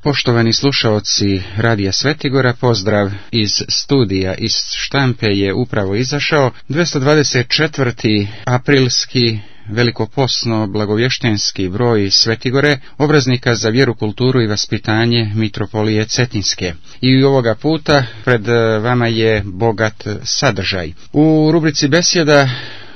Poštovani slušaoci Radija Svetigora, pozdrav iz studija. Iz štampe je upravo izašao 224. aprilski velikoposno blagovještenski broj Svetigore, obraznika za vjeru, kulturu i vaspitanje Mitropolije Cetinske. I ovoga puta pred vama je bogat sadržaj. U rubrici besjeda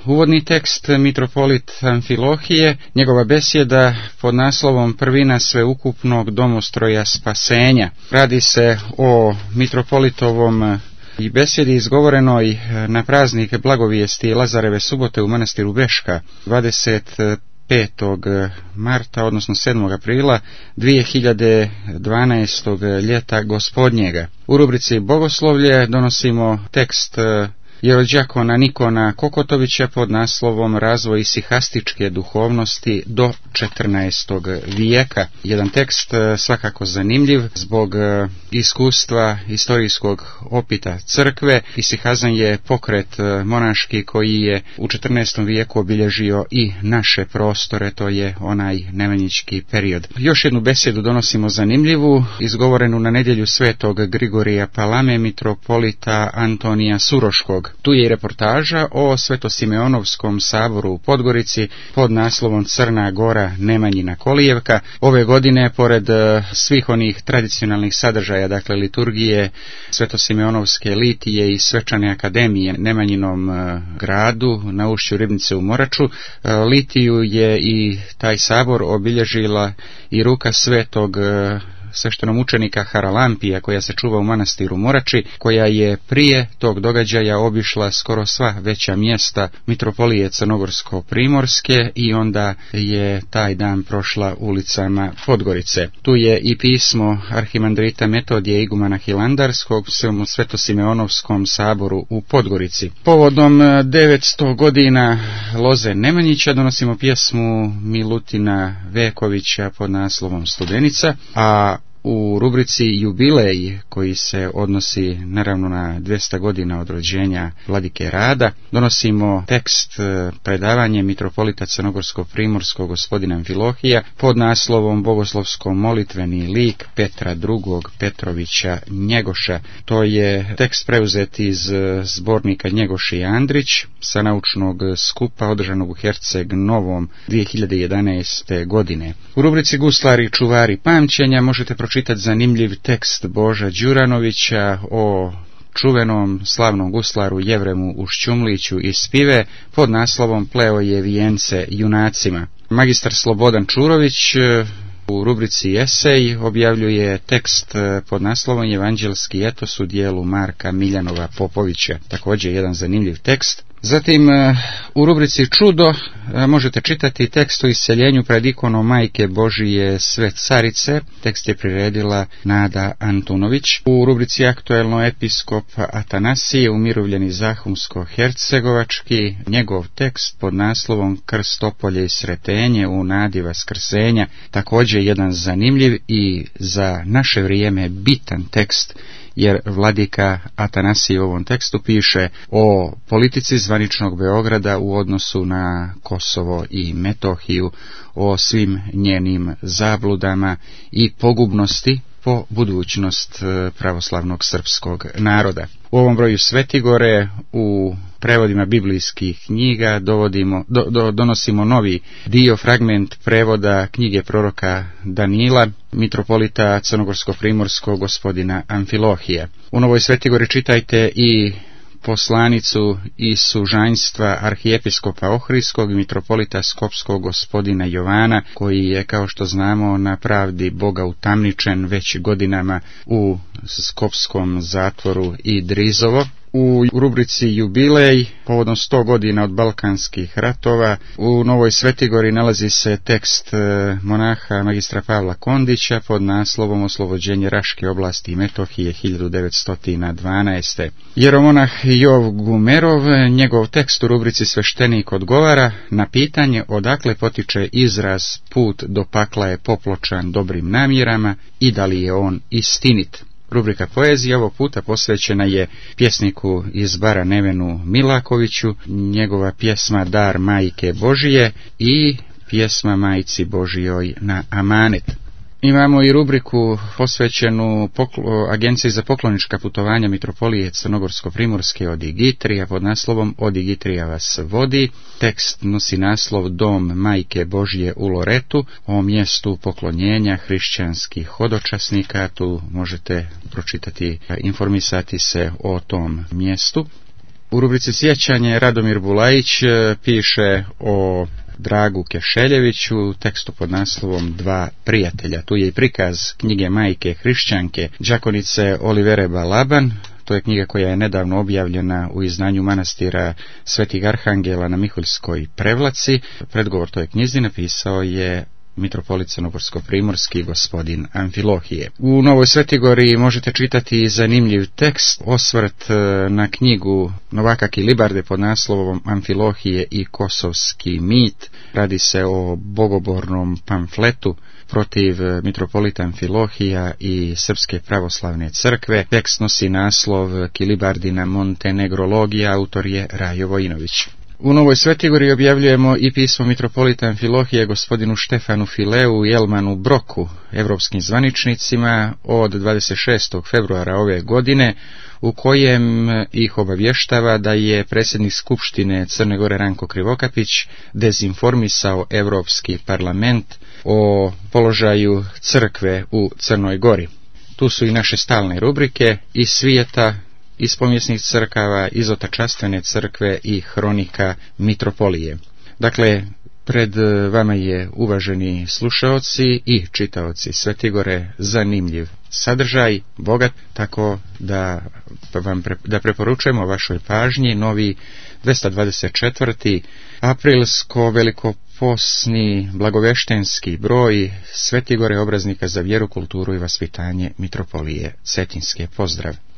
uvodni tekst mitropolit Amfilohije, njegova besjeda pod naslovom Prvina sveukupnog domostroja spasenja. Radi se o mitropolitovom i besjedi izgovorenoj na praznik blagovijesti Lazareve subote u manastiru Beška 25. marta, odnosno 7. aprila 2012. ljeta gospodnjega. U rubrici Bogoslovlje donosimo tekst jerođakona Nikona Kokotovića pod naslovom Razvoj sihastičke duhovnosti do 14. vijeka. Jedan tekst svakako zanimljiv zbog iskustva historijskog opita crkve. Isihazan je pokret monaški koji je u 14. vijeku obilježio i naše prostore, to je onaj nemanjički period. Još jednu besjedu donosimo zanimljivu, izgovorenu na nedjelju svetog Grigorija Palame, mitropolita Antonija Suroškog. Tu je i reportaža o Svetosimeonovskom saboru u Podgorici pod naslovom Crna Gora Nemanjina Kolijevka. Ove godine, pored svih onih tradicionalnih sadržaja, dakle liturgije Svetosimeonovske litije i svečane akademije Nemanjinom gradu na ušću Ribnice u Moraču, litiju je i taj sabor obilježila i ruka svetog sveštenomučenika Haralampija, koja se čuva u manastiru Morači, koja je prije tog događaja obišla skoro sva veća mjesta mitropolije Crnogorsko-Primorske i onda je taj dan prošla ulicama Podgorice. Tu je i pismo arhimandrita Metodija igumana Hilandarskog Svetosimeonovskom saboru u Podgorici. Povodom 900 godina loze Nemanjića donosimo pjesmu Milutina Vekovića pod naslovom Studenica, a u rubrici Jubilej, koji se odnosi naravno na 200 godina od rođenja vladike Rada, donosimo tekst predavanje mitropolita Crnogorsko-Primorskog gospodina Amfilohija pod naslovom Bogoslovsko-molitveni lik Petra II. Petrovića Njegoša. To je tekst preuzet iz zbornika Njegoš i Andrić sa naučnog skupa održanog u Herceg Novom 2011. godine. U rubrici Guslari i čuvari pamćenja možete pročitati zanimljiv tekst Boža Đuranovića o čuvenom slavnom guslaru Jevremu Ušćumliću iz Pive pod naslovom Pleo je vijence junacima. Magistar Slobodan Čurović u rubrici Esej objavljuje tekst pod naslovom Evanđelski etos u dijelu Marka Miljanova Popovića, također jedan zanimljiv tekst. Zatim u rubrici Čudo možete čitati tekst o isceljenju pred ikonom Majke Božije Sve carice. Tekst je priredila Nada Antunović. U rubrici Aktuelno episkop Atanasije, umirovljeni Zahumsko-Hercegovački, njegov tekst pod naslovom Krstopolje i sretenje u nadi vaskrsenja, također jedan zanimljiv i za naše vrijeme bitan tekst, jer vladika Atanasije u ovom tekstu piše o politici zvaničnog Beograda u odnosu na Kosovo i Metohiju, o svim njenim zabludama i pogubnosti po budućnost pravoslavnog srpskog naroda. U ovom broju Svetigore u prevodima biblijskih knjiga donosimo novi dio, fragment prevoda knjige proroka Danila, mitropolita Crnogorsko-Primorskog gospodina Amfilohija. U Novoj Svetigori čitajte i poslanicu iz sužanjstva arhijepiskopa Ohridskog, mitropolita Skopskog gospodina Jovana, koji je, kao što znamo, na pravdi Boga utamničen već godinama u skopskom zatvoru i Drizovo. U rubrici Jubilej, povodom 100 godina od Balkanskih ratova, u Novoj Svetigori nalazi se tekst monaha magistra Pavla Kondića pod naslovom Oslobođenje Raške oblasti i Metohije 1912. Jeromonah Jov Gumerov, njegov tekst u rubrici Sveštenik odgovara na pitanje odakle potiče izraz put do pakla je popločan dobrim namjerama i da li je on istinit. Rubrika Poezija ovog puta posvećena je pjesniku iz Bara Nevenu Milakoviću, njegova pjesma Dar Majke Božije i pjesma Majci Božijoj na amanet. Imamo i rubriku posvećenu Agenciji za poklonička putovanja Mitropolije Crnogorsko-Primorske od Igitrija pod naslovom Od Igitrija vas vodi. Tekst nosi naslov Dom Majke Božje u Loretu, o mjestu poklonjenja hrišćanskih hodočasnika. Tu možete pročitati, informisati se o tom mjestu. U rubrici Sjećanje Radomir Bulajić piše o Dragu Kešeljeviću, tekstu pod naslovom Dva prijatelja. Tu je i prikaz knjige majke hrišćanke đakonice Olivere Balaban. To je knjiga koja je nedavno objavljena u izdanju manastira Svetih Arhangela na Miholjskoj Prevlaci. Predgovor toj knjizi napisao je mitropolit Crnogorsko-primorski gospodin Amfilohije. U Novoj Svetigori možete čitati zanimljiv tekst, osvrt na knjigu Novaka Kilibarde pod naslovom Amfilohije i kosovski mit. Radi se o bogobornom pamfletu protiv mitropolita Amfilohija i Srpske pravoslavne crkve. Tekst nosi naslov Kilibardina Montenegrologija, autor je Rajo Vojinović. U Novoj Svetigori objavljujemo i pismo mitropolita Amfilohije gospodinu Štefanu Fileu i Elmanu Broku, evropskim zvaničnicima, od 26. februara ove godine, u kojem ih obavještava da je predsjednik Skupštine Crne Gore Ranko Krivokapić dezinformisao Evropski parlament o položaju crkve u Crnoj Gori. Tu su i naše stalne rubrike iz svijeta, iz povijesnih crkava, iz otačastvene crkve i hronika mitropolije. Dakle, pred vama je, uvaženi slušaoci i čitaoci Svetigore, zanimljiv sadržaj, bogat, tako da preporučujemo vašoj pažnji novi 224. aprilsko velikoposni blagoveštenski broj Svetigore, obraznika za vjeru, kulturu i vaspitanje mitropolije Cetinske. Pozdrav!